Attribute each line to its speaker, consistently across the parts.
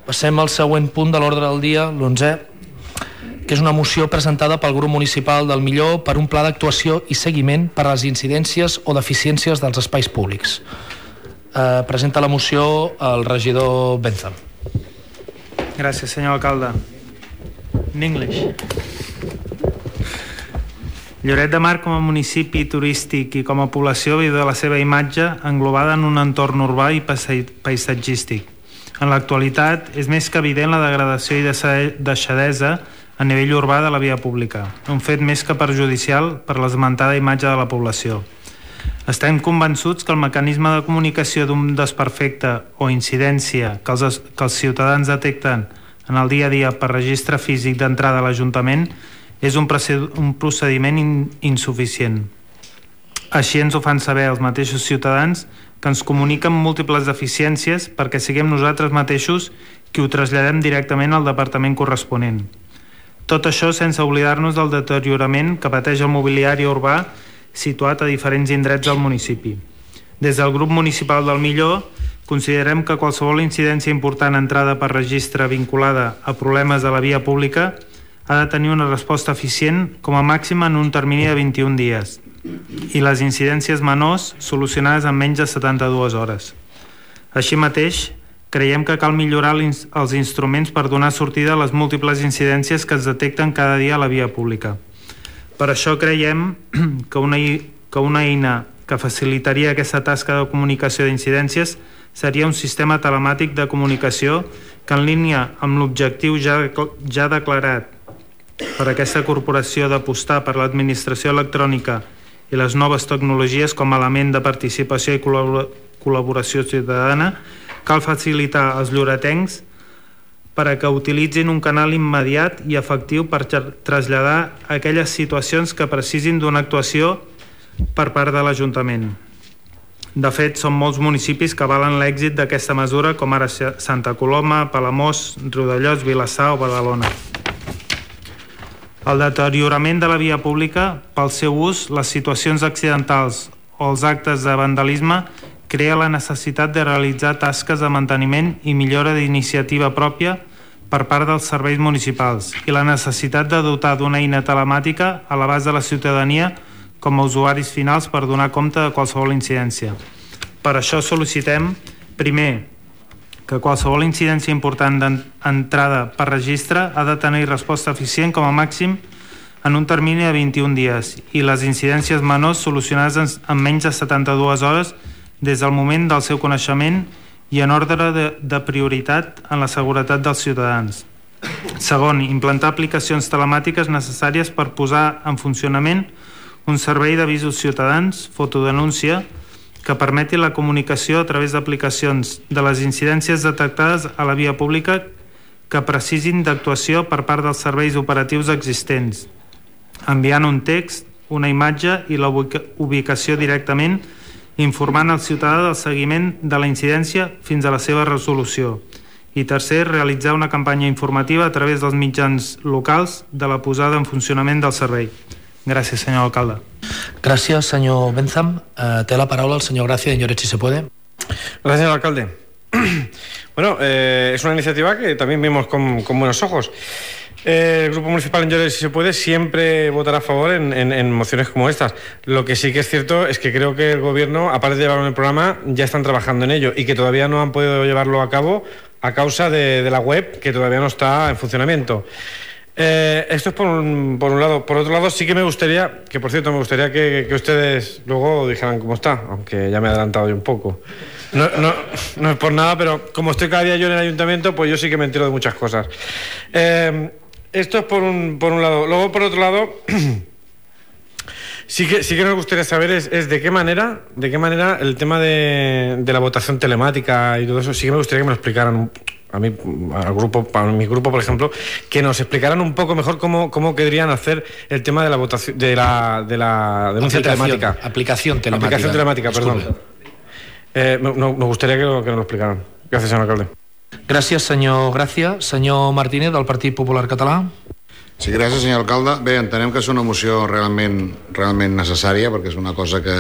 Speaker 1: Passem al següent punt de l'ordre del dia, l'11è, que és una moció presentada pel grup municipal del Millor per un pla d'actuació i seguiment per a les incidències o deficiències dels espais públics. Presenta la moció el regidor Bentham.
Speaker 2: Gràcies, senyor alcalde. In English. Lloret de Mar com a municipi turístic i com a població viu de la seva imatge englobada en un entorn urbà i paisatgístic. En l'actualitat és més que evident la degradació i deixadesa a nivell urbà de la via pública, un fet més que perjudicial per l'esmentada imatge de la població. Estem convençuts que el mecanisme de comunicació d'un desperfecte o incidència que els ciutadans detecten en el dia a dia per registre físic d'entrada a l'Ajuntament és un procediment insuficient. Així ens ho fan saber els mateixos ciutadans que ens comuniquen múltiples deficiències perquè siguem nosaltres mateixos qui ho traslladem directament al departament corresponent. Tot això sense oblidar-nos del deteriorament que pateix el mobiliari urbà situat a diferents indrets del municipi. Des del grup municipal del Millor considerem que qualsevol incidència important entrada per registre vinculada a problemes de la via pública ha de tenir una resposta eficient com a màxim en un termini de 21 dies i les incidències menors solucionades en menys de 72 hores. Així mateix, creiem que cal millorar els instruments per donar sortida a les múltiples incidències que es detecten cada dia a la via pública. Per això creiem que una eina que facilitaria aquesta tasca de comunicació d'incidències seria un sistema telemàtic de comunicació que, en línia amb l'objectiu ja declarat per aquesta corporació d'apostar per l'administració electrònica i les noves tecnologies com a element de participació i col·laboració ciutadana, cal facilitar als lloretencs per a que utilitzin un canal immediat i efectiu per traslladar aquelles situacions que precisin d'una actuació per part de l'Ajuntament. De fet, són molts municipis que avalen l'èxit d'aquesta mesura, com ara Santa Coloma, Palamós, Riudellots, Vilassar o Badalona. El deteriorament de la via pública, pel seu ús, les situacions accidentals o els actes de vandalisme crea la necessitat de realitzar tasques de manteniment i millora d'iniciativa pròpia per part dels serveis municipals i la necessitat de dotar d'una eina telemàtica a l'abast de la ciutadania com a usuaris finals per donar compte de qualsevol incidència. Per això sol·licitem, primer, que qualsevol incidència important d'entrada per registre ha de tenir resposta eficient com a màxim en un termini de 21 dies i les incidències menors solucionades en menys de 72 hores des del moment del seu coneixement i en ordre de prioritat en la seguretat dels ciutadans. Segon, implantar aplicacions telemàtiques necessàries per posar en funcionament un servei d'avisos ciutadans, fotodenúncia, que permeti la comunicació a través d'aplicacions de les incidències detectades a la via pública que precisin d'actuació per part dels serveis operatius existents, enviant un text, una imatge i la ubicació directament, informant el ciutadà del seguiment de la incidència fins a la seva resolució. I tercer, realitzar una campanya informativa a través dels mitjans locals de la posada en funcionament del servei. Gràcies, senyor alcalde.
Speaker 1: Gracias, señor Bentham. Té la paraula el señor Gracia de Lloret, si se puede.
Speaker 3: Gracias, señor alcalde. Bueno, es una iniciativa que también vemos con buenos ojos. El Grupo Municipal en Lloret, si se puede, siempre votará a favor en mociones como estas. Lo que sí que es cierto es que creo que el Gobierno, aparte de llevarlo en el programa, ya están trabajando en ello y que todavía no han podido llevarlo a cabo a causa de la web, que todavía no está en funcionamiento. Esto es por un lado. Por otro lado, sí que me gustaría, que por cierto, me gustaría que ustedes luego dijeran cómo está, aunque ya me he adelantado yo un poco. No es por nada, pero como estoy cada día yo en el ayuntamiento, pues yo sí que me entero de muchas cosas. Esto es por un lado. Luego, por otro lado, sí que nos gustaría saber es de qué manera el tema de la votación telemática y todo eso, sí que me gustaría que me lo explicaran a mi grupo, por ejemplo, que nos explicaran un poco mejor cómo querrían hacer el tema de la votación de la denuncia telemática.
Speaker 1: Aplicación telemática,
Speaker 3: perdón. Nos gustaría que nos lo explicaran. Gracias, señor alcalde.
Speaker 1: Gràcies, senyor Gràcia. Senyor Martínez, del Partit Popular Català.
Speaker 4: Sí, gràcies, senyor alcalde. Bé, entenem que és una moció realment necessària, perquè és una cosa que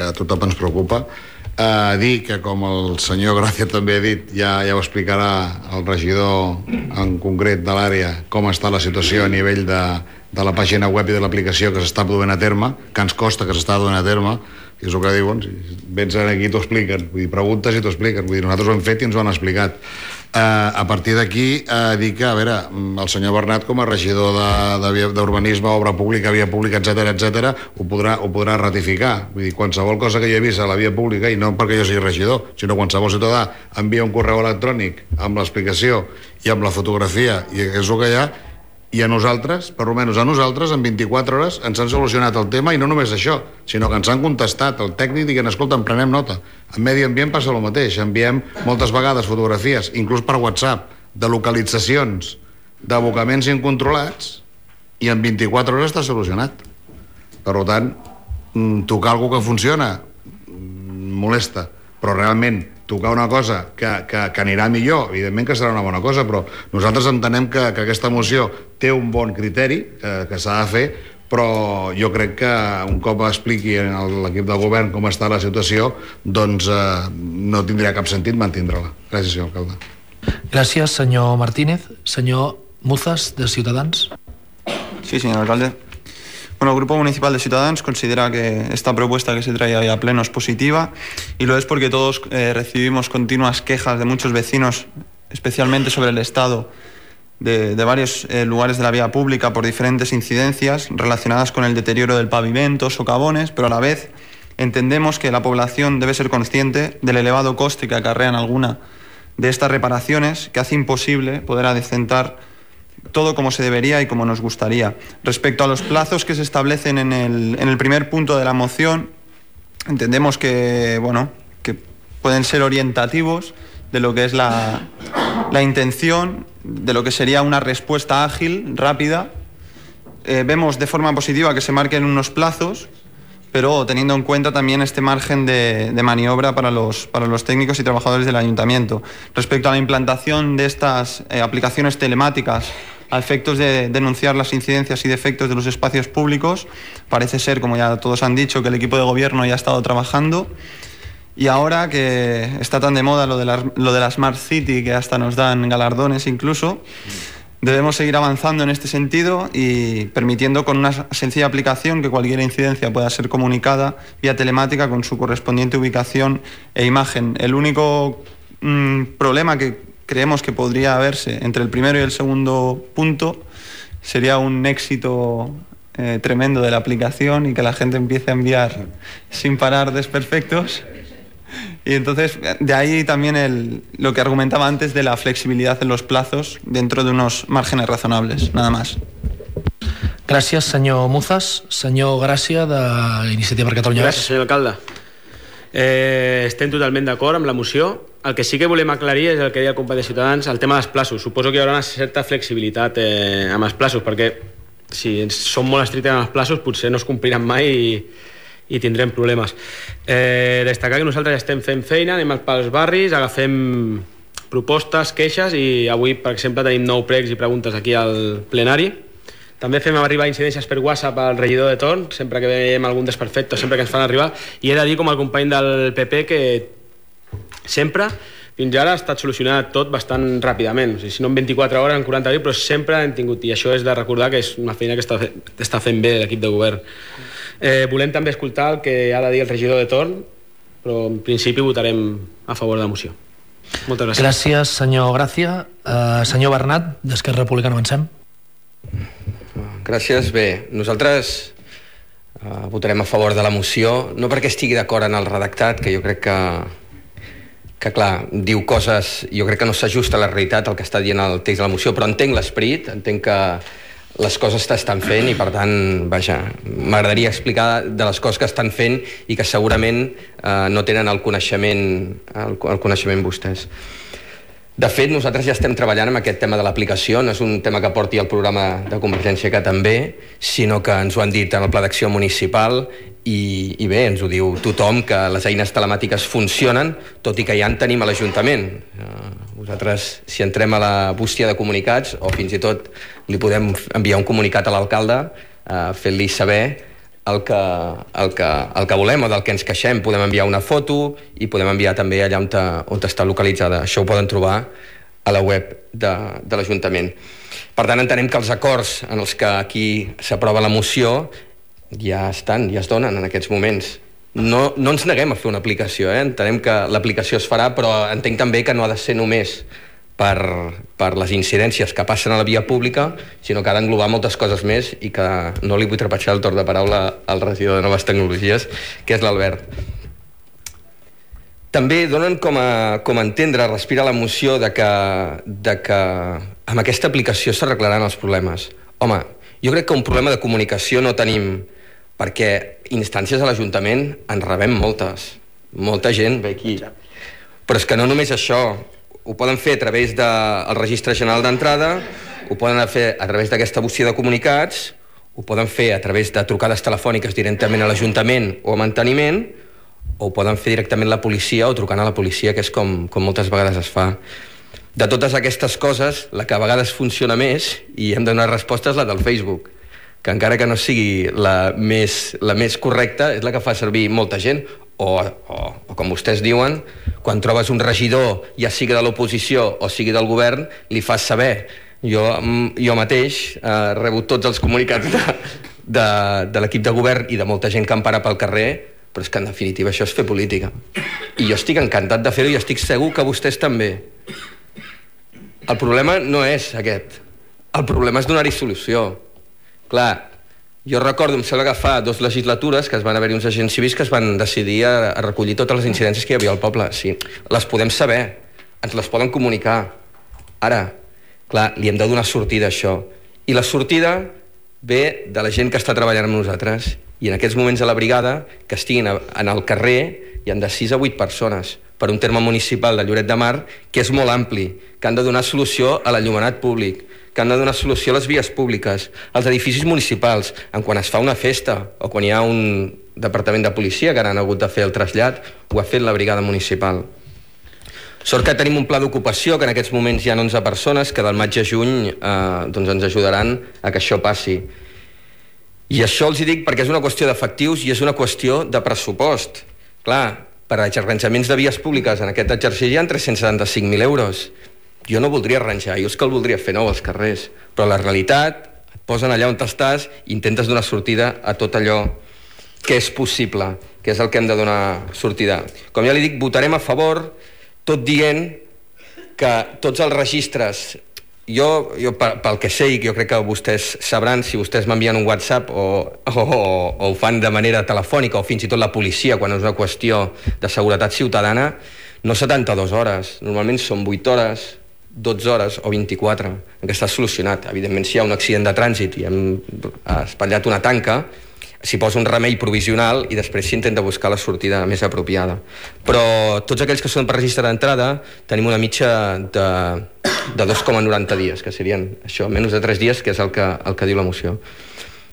Speaker 4: a tothom ens preocupa. Dir que, com el senyor Gràcia també ha dit, ja ho explicarà el regidor en concret de l'àrea, com està la situació a nivell de la pàgina web i de l'aplicació que s'està duent a terme, que ens costa que s'està duent a terme, i és el que diuen, si vens aquí t'ho expliquen, vull dir, preguntes i t'ho expliquen, vull dir, nosaltres ho hem fet i ens ho han explicat. A partir d'aquí, dir que, a veure, el senyor Bernat, com a regidor d'Urbanisme, Obra Pública, Via Pública, etc., ho podrà ratificar. Vull dir, qualsevol cosa que hi he vist a la via pública, i no perquè jo sigui regidor, sinó qualsevol ciutadà envia un correu electrònic amb l'explicació i amb la fotografia, i és el que hi ha, i a nosaltres, per almenys a nosaltres, en 24 hores ens han solucionat el tema, i no només això, sinó que ens han contestat el tècnic dient, escolta, en prenem nota. En Medi Ambient passa el mateix, enviem moltes vegades fotografies, inclús per WhatsApp, de localitzacions d'abocaments incontrolats, i en 24 hores està solucionat. Per tant, tocar alguna que funciona molesta, però realment tocar una cosa que anirà millor, evidentment que serà una bona cosa, però nosaltres entenem que aquesta moció té un bon criteri que s'ha de fer, però jo crec que un cop expliqui a l'equip de govern com està la situació, doncs no tindria cap sentit mantindre-la. Gràcies, senyor alcalde.
Speaker 1: Gràcies, senyor Martínez. Senyor Muzas, de Ciutadans.
Speaker 5: Sí, señor alcalde. Bueno, el Grupo Municipal de Ciudadanos considera que esta propuesta que se trae hoy a pleno es positiva, y lo es porque todos recibimos continuas quejas de muchos vecinos, especialmente sobre el estado de varios lugares de la vía pública por diferentes incidencias relacionadas con el deterioro del pavimento, socavones, pero a la vez entendemos que la población debe ser consciente del elevado coste que acarrean alguna de estas reparaciones, que hace imposible poder adecentar todo como se debería y como nos gustaría. Respecto a los plazos que se establecen en el primer punto de la moción, entendemos que, bueno, que pueden ser orientativos de lo que es la intención, de lo que sería una respuesta ágil, rápida. Vemos de forma positiva que se marquen unos plazos, pero teniendo en cuenta también este margen de maniobra para los técnicos y trabajadores del ayuntamiento. Respecto a la implantación de estas aplicaciones telemáticas a efectos de denunciar las incidencias y defectos de los espacios públicos, parece ser, como ya todos han dicho, que el equipo de gobierno ya ha estado trabajando, y ahora que está tan de moda lo de la Smart City, que hasta nos dan galardones incluso, debemos seguir avanzando en este sentido y permitiendo con una sencilla aplicación que cualquier incidencia pueda ser comunicada vía telemática con su correspondiente ubicación e imagen. El único problema que creemos que podría haberse entre el primero y el segundo punto sería un éxito tremendo de la aplicación y que la gente empiece a enviar sin parar desperfectos. Y entonces, de ahí también lo que argumentaba antes de la flexibilidad en los plazos dentro de unos márgenes razonables, nada más.
Speaker 1: Gràcies, senyor Muzas. Senyor Gràcia, d'Iniciativa per Catalunya.
Speaker 6: Gràcies, senyor alcalde. Estem totalment d'acord amb la moció. El que sí que volem aclarir és el que deia el company de Ciutadans, el tema dels plazos. Suposo que hi haurà una certa flexibilitat amb els plazos, perquè si som molt estrictes amb els plazos potser no es compliran mai i tindrem problemes. Destacar que nosaltres estem fent feina, anem pels barris, agafem propostes, queixes, i avui, per exemple, tenim 9 pregs i preguntes aquí al plenari. També fem arribar incidències per WhatsApp al regidor de torn, sempre que veiem algun desperfecte, sempre que ens fan arribar, i he de dir, com el company del PP, que sempre, fins ara, ha estat solucionat tot bastant ràpidament. O sigui, si no en 24 hores, en 40 hores, però sempre hem tingut, i això és de recordar que és una feina que està fent bé l'equip de govern. Volem també escoltar el que ha de dir el regidor de torn, però en principi votarem a favor de la moció. Moltes gràcies.
Speaker 1: Gràcies, senyor Gràcia. Senyor Bernat, d'Esquerra Republicana, avancem.
Speaker 7: Gràcies. Bé, nosaltres votarem a favor de la moció, no perquè estigui d'acord en el redactat, que jo crec que clar, diu coses, jo crec que no s'ajusta a la realitat el que està dient el text de la moció, però entenc l'esperit, entenc que les coses s'estan fent i per tant, vaja, m'agradaria explicar de les coses que estan fent i que segurament no tenen el coneixement vostès. De fet, nosaltres ja estem treballant amb aquest tema de l'aplicació, no és un tema que porti el programa de Convergència que també, sinó que ens ho han dit en el Pla d'Acció Municipal i bé, ens ho diu tothom, que les eines telemàtiques funcionen, tot i que ja en tenim a l'Ajuntament. Nosaltres, si entrem a la bústia de comunicats, o fins i tot li podem enviar un comunicat a l'alcalde fent-li saber el que volem o del que ens queixem. Podem enviar una foto i podem enviar també allà on està localitzada. Això ho poden trobar a la web de l'Ajuntament. Per tant, entenem que els acords en els que aquí s'aprova la moció ja estan, ja es donen en aquests moments. No ens neguem a fer una aplicació, entenem que l'aplicació es farà, però entenc també que no ha de ser només per les incidències que passen a la via pública, sinó que ha d'englobar moltes coses més i que no li vull trepitjar el torn de paraula al regidor de Noves Tecnologies, que és l'Albert. També donen com a entendre, respira la moció de que amb aquesta aplicació s'arreglaran els problemes. Home, jo crec que un problema de comunicació no tenim, perquè instàncies a l'Ajuntament en rebem moltes. Molta gent ve aquí. Però és que no només això, ho poden fer a través del Registre General d'Entrada, ho poden fer a través d'aquesta bocia de comunicats, ho poden fer a través de trucades telefòniques directament a l'Ajuntament o a Manteniment, o ho poden fer directament la policia o trucant a la policia, que és com moltes vegades es fa. De totes aquestes coses, la que a vegades funciona més, i hem de donar resposta, és la del Facebook, que encara que no sigui la més correcta, és la que fa servir molta gent, o com vostès diuen, quan trobes un regidor, ja sigui de l'oposició o sigui del govern, li fas saber. Jo mateix rebo tots els comunicats de l'equip de govern i de molta gent que em para pel carrer, però és que en definitiva això és fer política. I jo estic encantat de fer-ho i estic segur que vostès també. El problema no és aquest. El problema és donar-hi solució. Clar, jo recordo, em sembla que fa 2 legislatures que es van haver-hi uns agents civils que es van decidir a recollir totes les incidències que hi havia al poble. Sí, les podem saber, ens les poden comunicar. Ara, clar, li hem de donar sortida a això. I la sortida ve de la gent que està treballant amb nosaltres. I en aquests moments a la brigada, que estiguin en el carrer, hi han de 6 a 8 persones per un terme municipal de Lloret de Mar, que és molt ampli, que han de donar solució a l'enllumenat públic, que han de donar solució a les vies públiques, als edificis municipals, quan es fa una festa o quan hi ha un departament de policia que han hagut de fer el trasllat, ho ha fet la brigada municipal. Sort que tenim un pla d'ocupació, que en aquests moments hi ha 11 persones, que del maig a juny ens ajudaran a que això passi. I això els dic perquè és una qüestió d'efectius i és una qüestió de pressupost. Clar, per a arranjaments de vies públiques en aquest exercici hi ha 375.000 euros. Jo no voldria arranjar, jo és que el voldria fer nou als carrers, però la realitat et posen allà on estàs i intentes donar sortida a tot allò que és possible, que és el que hem de donar sortida. Com ja li dic, votarem a favor, tot dient que tots els registres, jo pel que sé, i jo crec que vostès sabran, si vostès m'envien un WhatsApp o ho fan de manera telefònica o fins i tot la policia quan és una qüestió de seguretat ciutadana, no 72 hores, normalment són 8 hores, 12 hores o 24 en què està solucionat. Evidentment, si hi ha un accident de trànsit i hem espatllat una tanca, s'hi posa un remei provisional i després s'intenta buscar la sortida més apropiada. Però tots aquells que són per registre d'entrada tenim una mitja de 2,90 dies, que serien això, menys de 3 dies, que és el que diu la moció.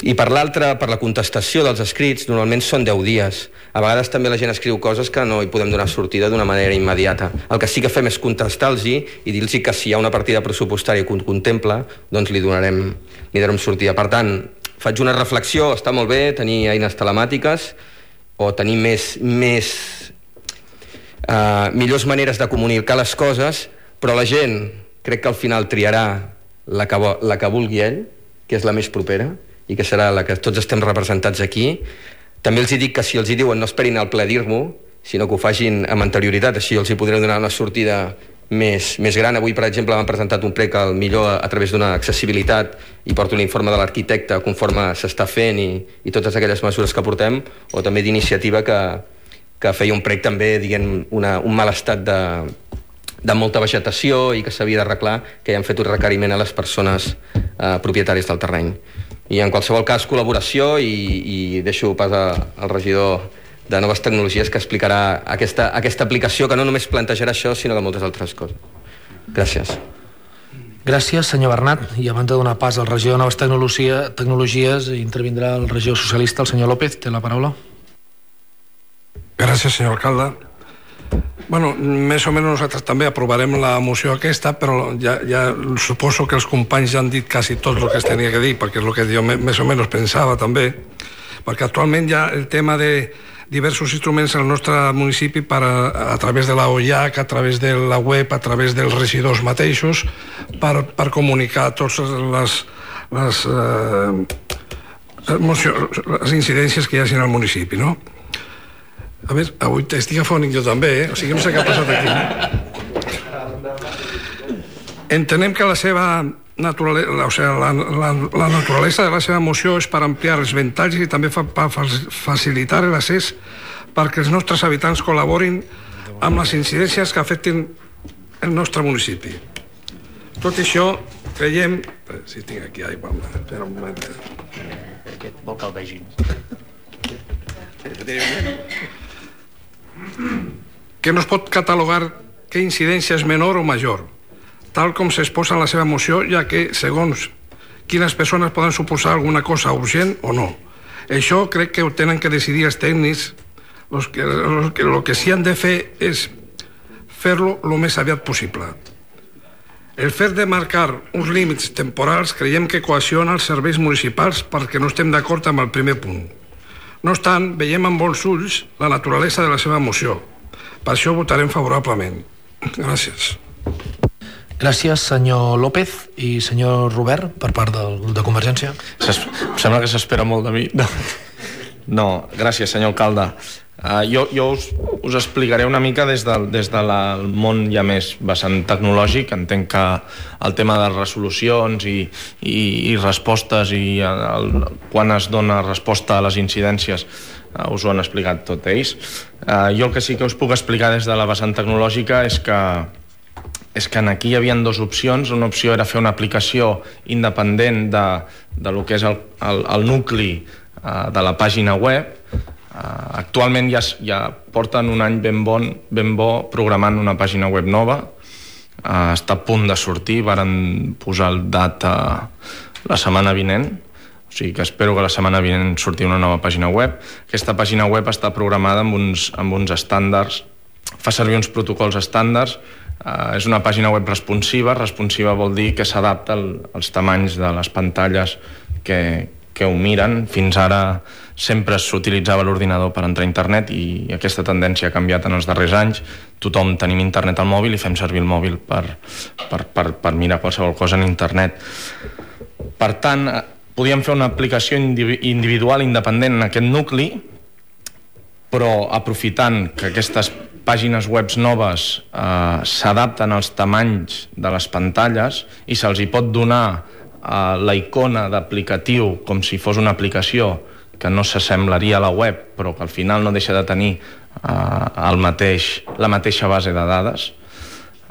Speaker 7: I per l'altra, per la contestació dels escrits, normalment són 10 dies. A vegades també la gent escriu coses que no hi podem donar sortida d'una manera immediata. El que sí que fem és contestar-los i dir-los que si hi ha una partida pressupostària que ho contempla, doncs li donarem sortida. Per tant, faig una reflexió, està molt bé tenir eines telemàtiques o tenir millors maneres de comunicar les coses, però la gent crec que al final triarà la que vulgui ell, que és la més propera, i que serà la que tots estem representats aquí. També els dic que si els diuen no esperin al ple dir-m'ho, sinó que ho facin amb anterioritat, així els hi podré donar una sortida més gran. Avui, per exemple, m'han presentat un prec al millor a través d'una accessibilitat i porto l'informe de l'arquitecte conforme s'està fent i totes aquelles mesures que portem, o també d'iniciativa que feia un prec també dient un mal estat de molta vegetació i que s'havia d'arreglar, que ja han fet un requeriment a les persones propietàries del terreny. I en qualsevol cas, col·laboració, i deixo pas al regidor de Noves Tecnologies que explicarà aquesta aplicació que no només plantejarà això, sinó que moltes altres coses. Gràcies.
Speaker 1: Gràcies, senyor Bernat. I abans de donar pas al regidor de Noves Tecnologies, intervindrà el regidor socialista, el senyor López. Té la paraula.
Speaker 8: Gràcies, senyor alcalde. Bueno, més o menys nosaltres també aprovarem la moció aquesta, però ja suposo que els companys ja han dit quasi tot el que es tenia que dir, perquè és el que jo més o menys pensava també. perquè actualment hi ha el tema de diversos instruments al nostre municipi a través de la OIAC, a través de la web, a través dels regidors mateixos, per comunicar totes les incidències que hi hagi al municipi, no? A veure, avui estic afònic jo també, o sigui, no sé què ha passat aquí. Entenem que la seva la naturalesa de la seva moció és per ampliar els ventalls i també per facilitar l'accés perquè els nostres habitants col·laborin amb les incidències que afectin el nostre municipi. Tot això creiem... Si tinc aquí aigua, espera un moment.
Speaker 1: Vol que el vegin.
Speaker 8: Que no es pot catalogar què incidència és menor o major, tal com s'exposa en la seva moció, ja que, segons quines persones poden suposar alguna cosa urgent o no. Això crec que ho tenen que decidir els tècnics. El que sí han de fer és fer-lo el més aviat possible. El fet de marcar uns límits temporals creiem que coacciona els serveis municipals perquè no estem d'acord amb el primer punt. No obstant, veiem amb bons ulls la naturalesa de la seva moció. Per això votarem favorablement. Gràcies.
Speaker 1: Gràcies, senyor López i senyor Robert, per part de Convergència.
Speaker 9: Em sembla que s'espera molt de mi. No, gràcies, senyor alcalde. Jo us explicaré una mica des del món ja més vessant tecnològic. Entenc que el tema de resolucions i respostes i quan es dona resposta a les incidències us ho han explicat tot ells. Jo el que sí que us puc explicar des de la vessant tecnològica és que aquí hi havia dues opcions. Una opció era fer una aplicació independent de lo que és el nucli de la pàgina web. Actualment ja porten un any ben bo programant una pàgina web nova. Està a punt de sortir, varen posar el data la setmana vinent, o sigui que espero que la setmana vinent surti una nova pàgina web. Aquesta pàgina web està programada amb uns estàndards, fa servir uns protocols estàndards. És una pàgina web responsiva. Responsiva vol dir que s'adapta als tamanys de les pantalles que ho miren. Fins ara sempre s'utilitzava l'ordinador per entrar a internet i aquesta tendència ha canviat en els darrers anys. Tothom tenim internet al mòbil i fem servir el mòbil per mirar qualsevol cosa en internet. Per tant, podíem fer una aplicació individual independent en aquest nucli, però aprofitant que aquestes pàgines web noves s'adapten als tamanys de les pantalles i se'ls hi pot donar la icona d'aplicatiu com si fos una aplicació que no s'assemblaria a la web però que al final no deixa de tenir la mateixa base de dades.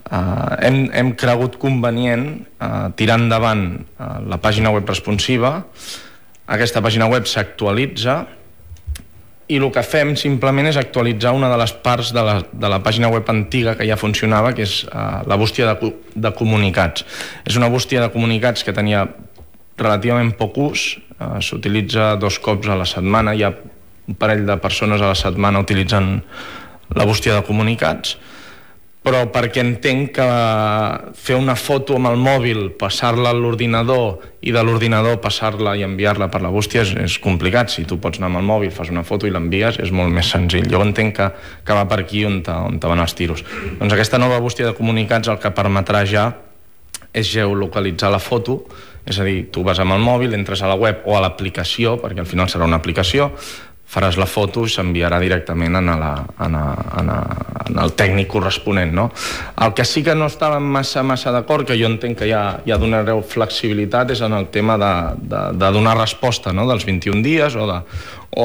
Speaker 9: Hem cregut convenient tirar endavant la pàgina web responsiva. Aquesta pàgina web s'actualitza i el que fem simplement és actualitzar una de les parts de la pàgina web antiga que ja funcionava, que és la bústia de comunicats. És una bústia de comunicats que tenia relativament poc ús, s'utilitza 2 cops a la setmana, hi ha un parell de persones a la setmana utilitzant la bústia de comunicats, però perquè entenc que fer una foto amb el mòbil, passar-la a l'ordinador i de l'ordinador passar-la i enviar-la per la bústia és complicat. Si tu pots anar amb el mòbil, fas una foto i l'envies, és molt més senzill. Jo entenc que va per aquí on van els tiros. Doncs aquesta nova bústia de comunicats el que permetrà ja és geolocalitzar la foto, és a dir, tu vas amb el mòbil, entres a la web o a l'aplicació, perquè al final serà una aplicació, faràs la foto i s'enviarà directament en el tècnic corresponent, no? El que sí que no estàvem massa d'acord, que jo entenc que ja donareu flexibilitat, és en el tema de donar resposta, no? Dels 21 dies o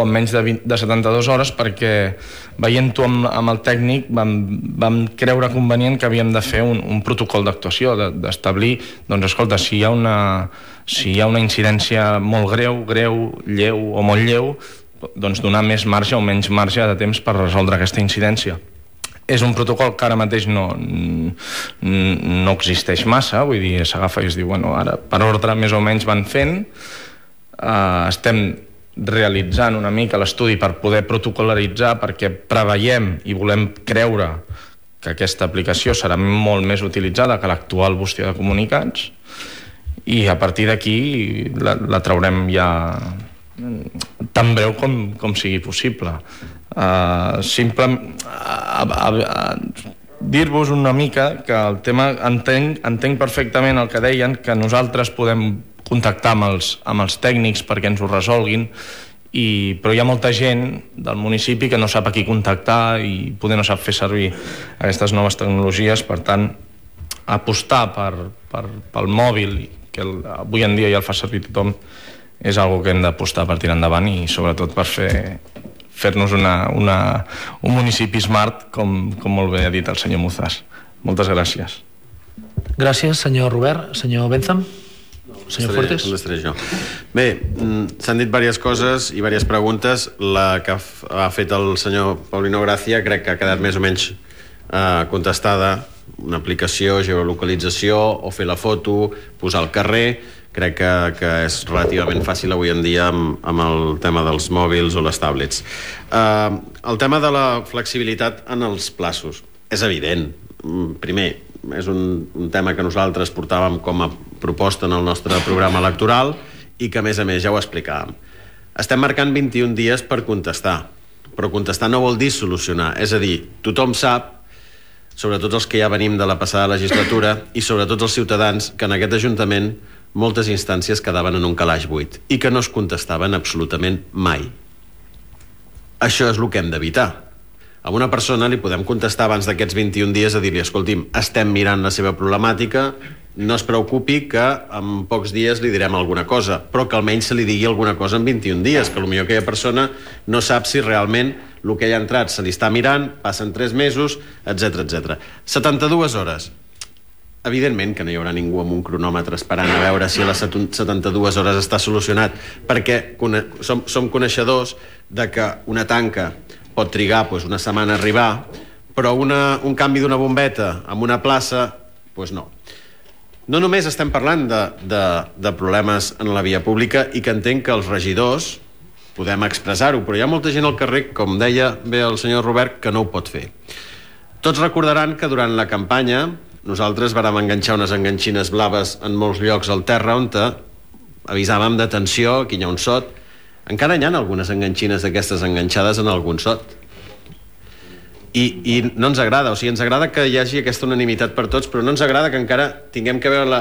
Speaker 9: en menys de 72 hores, perquè veient-ho amb el tècnic vam creure convenient que havíem de fer un protocol d'actuació, d'establir, doncs escolta, si hi ha una incidència molt greu, lleu o molt lleu, doncs donar més marge o menys marge de temps per resoldre aquesta incidència. És un protocol que ara mateix no existeix massa, vull dir, s'agafa i es diu, bueno, ara per ordre més o menys van fent, estem realitzant una mica l'estudi per poder protocolaritzar, perquè preveiem i volem creure que aquesta aplicació serà molt més utilitzada que l'actual bústia de comunicats i a partir d'aquí la traurem ja tan breu com sigui possible. Dir-vos una mica que el tema entenc perfectament el que deien, que nosaltres podem contactar amb els tècnics perquè ens ho resolguin, però hi ha molta gent del municipi que no sap a qui contactar i poder no sap fer servir aquestes noves tecnologies. Per tant, apostar pel mòbil, que avui en dia ja el fa servir tothom, és algo que hem d'apostar per tirar endavant i sobretot per fer-nos un municipi smart, com molt bé ha dit el senyor Muzas. Moltes gràcies.
Speaker 1: Gràcies, senyor Robert. Senyor Bentham? Senyor Fuertes?
Speaker 10: Estaré jo. Bé, s'han dit diverses coses i diverses preguntes. La que ha fet el senyor Paulino Gracia crec que ha quedat més o menys contestada. Una aplicació, geolocalització, o fer la foto, posar al carrer. Crec que és relativament fàcil avui en dia amb el tema dels mòbils o les tablets. El tema de la flexibilitat en els plaços és evident. Primer, és un tema que nosaltres portàvem com a proposta en el nostre programa electoral i que a més ja ho explicàvem. Estem marcant 21 dies per contestar, però contestar no vol dir solucionar. És a dir, tothom sap, sobretot els que ja venim de la passada legislatura i sobretot els ciutadans, que en aquest Ajuntament moltes instàncies quedaven en un calaix buit i que no es contestaven absolutament mai. Això és el que hem d'evitar. A una persona li podem contestar abans d'aquests 21 dies a dir-li: escolti'm, estem mirant la seva problemàtica, no es preocupi que en pocs dies li direm alguna cosa, però que almenys se li digui alguna cosa en 21 dies, que potser aquella persona no sap si realment el que hi ha entrat se li està mirant, passen 3 mesos, etc. 72 hores. Evidentment que no hi haurà ningú amb un cronòmetre esperant a veure si a les 72 hores està solucionat, perquè som coneixedors de que una tanca pot trigar una setmana a arribar, però un canvi d'una bombeta en una plaça, no. No només estem parlant de problemes en la via pública, i que entenc que els regidors podem expressar-ho, però hi ha molta gent al carrer, com deia bé el senyor Robert, que no ho pot fer. Tots recordaran que durant la campanya nosaltres vàrem enganxar unes enganxines blaves en molts llocs al terra on avisàvem d'atenció, aquí hi ha un sot. Encara hi ha algunes enganxines d'aquestes enganxades en algun sot. I no ens agrada, o sigui, ens agrada que hi hagi aquesta unanimitat per tots, però no ens agrada que encara tinguem que veure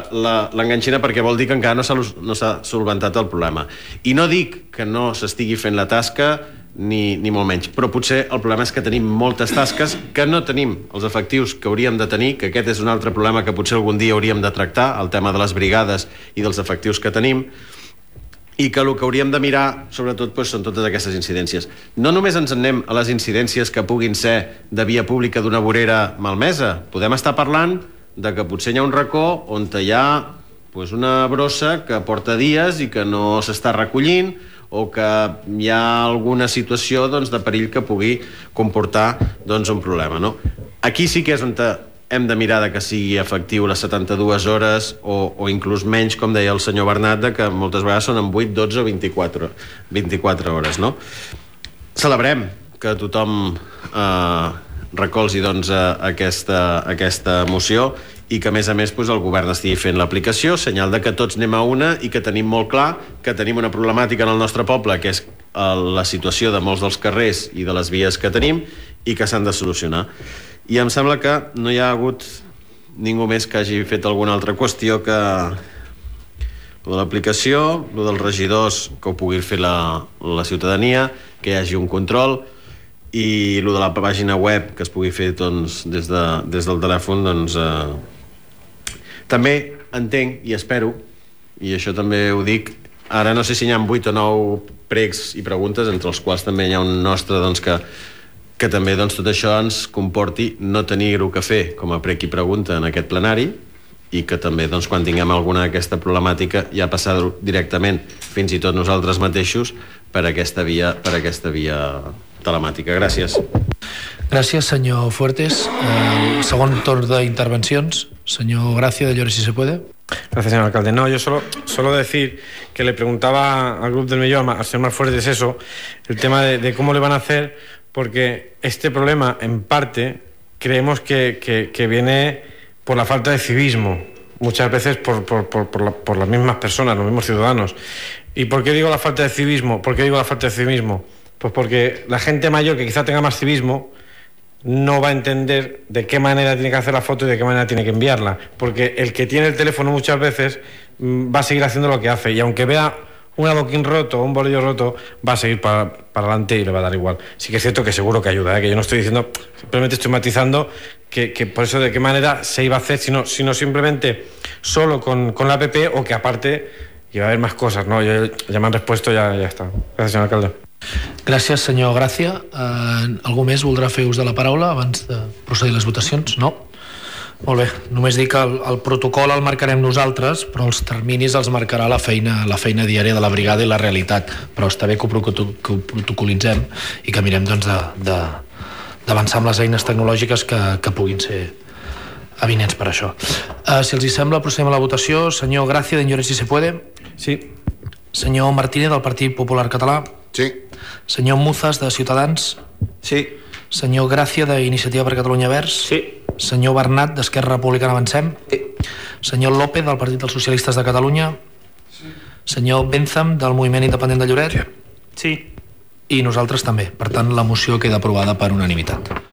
Speaker 10: l'enganxina, perquè vol dir que encara no s'ha solventat el problema. I no dic que no s'estigui fent la tasca, ni molt menys, però potser el problema és que tenim moltes tasques, que no tenim els efectius que hauríem de tenir, que aquest és un altre problema que potser algun dia hauríem de tractar, el tema de les brigades i dels efectius que tenim, i que el que hauríem de mirar, sobretot, són totes aquestes incidències. No només ens anem a les incidències que puguin ser de via pública d'una vorera malmesa, podem estar parlant de que potser hi ha un racó on hi ha una brossa que porta dies i que no s'està recollint, o que hi ha alguna situació de perill que pugui comportar un problema. Aquí sí que és on hem de mirar que sigui efectiu les 72 hores o inclús menys, com deia el senyor Bernat, que moltes vegades són en 8, 12 o 24 hores. Celebrem que tothom recolzi aquesta moció i que a més el govern estigui fent l'aplicació, senyal de que tots anem a una i que tenim molt clar que tenim una problemàtica en el nostre poble, que és la situació de molts dels carrers i de les vies que tenim i que s'han de solucionar. I em sembla que no hi ha hagut ningú més que hagi fet alguna altra qüestió que lo de l'aplicació, lo dels regidors, que ho pugui fer la ciutadania, que hi hagi un control, i lo de la pàgina web que es pugui fer des del telèfon. També entenc i espero, i això també ho dic, ara no sé si hi ha 8 o 9 pregs i preguntes, entre els quals també hi ha un nostre que també tot això ens comporti no tenir-ho que fer com a prec i pregunta en aquest plenari, i que també quan tinguem alguna d'aquesta problemàtica ja passar-ho directament, fins i tot nosaltres mateixos, per aquesta via telemàtica. Gràcies.
Speaker 1: Gràcies, senyor Fuertes. Segon torn d'intervencions. Señor Gracia, de Llores, si se puede.
Speaker 3: Gracias, señor alcalde. No, yo solo decir que le preguntaba al Grupo del Millón, al señor Fuertes, eso, el tema de cómo le van a hacer, porque este problema, en parte, creemos que viene por la falta de civismo. muchas veces por las mismas personas, los mismos ciudadanos. ¿Y por qué digo la falta de civismo? Pues porque la gente mayor que quizá tenga más civismo no va a entender de qué manera tiene que hacer la foto y de qué manera tiene que enviarla, porque el que tiene el teléfono muchas veces va a seguir haciendo lo que hace, y aunque vea un adoquín roto o un bolillo roto, va a seguir para adelante y le va a dar igual. Sí que es cierto que seguro que ayuda, que yo no estoy diciendo, simplemente estoy matizando que por eso de qué manera se iba a hacer, sino simplemente solo con la app, o que aparte iba a haber más cosas, ¿no? Ya me han respuesto, ya está. Gracias, senyor alcalde.
Speaker 1: Gràcies, senyor Gràcia. Algú més voldrà fer ús de la paraula abans de procedir a les votacions? No? Molt bé, només dic que el protocol el marcarem nosaltres, però els terminis els marcarà la feina diària de la brigada i la realitat, però està bé que ho protocolitzem i que mirem doncs, d'avançar amb les eines tecnològiques que puguin ser avinents per això. Si els hi sembla, procedem a la votació. Senyor Gràcia, d'Enllores si se puede.
Speaker 3: Sí.
Speaker 1: Senyor Martínez, del Partit Popular Català.
Speaker 4: Sí.
Speaker 1: Senyor Muzas, de Ciutadans.
Speaker 5: Sí.
Speaker 1: Senyor Gràcia, d'Iniciativa per Catalunya Verds.
Speaker 6: Sí.
Speaker 1: Senyor Bernat, d'Esquerra Republicana Avancem.
Speaker 7: Sí.
Speaker 1: Senyor López, del Partit dels Socialistes de Catalunya. Sí. Senyor Benzam, del Moviment Independent de Lloret.
Speaker 2: Sí.
Speaker 1: I nosaltres també. Per tant, la moció queda aprovada per unanimitat.